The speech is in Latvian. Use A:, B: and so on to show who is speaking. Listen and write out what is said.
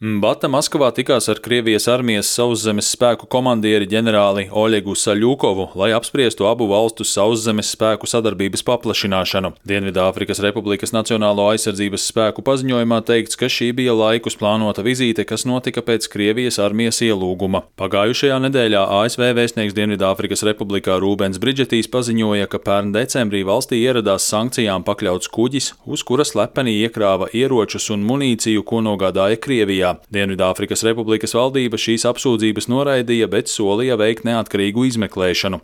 A: Bata Maskavā tikās ar Krievijas armijas sauszemes spēku komandieri ģenerāli Oļegu Saļukovu, lai apspriestu abu valstu sauszemes spēku sadarbības paplašināšanu. Dienvidāfrikas Republikas Nacionālo aizsardzības spēku paziņojumā teikts, ka šī bija laikus plānota vizīte, kas notika pēc Krievijas armijas ielūguma. Pagājušajā nedēļā ASV vēstnieks Dienvidāfrikas Republikā Rūbens Bridžetīs paziņoja, ka pērn decembrī valstī ieradās sankcijām pakļauts kuģis, uz kura slepeni iekrāva ieročus un munīciju, ko nogādāja Krievijā. Dienvidāfrikas Republikas valdība šīs apsūdzības noraidīja, bet solīja veikt neatkarīgu izmeklēšanu.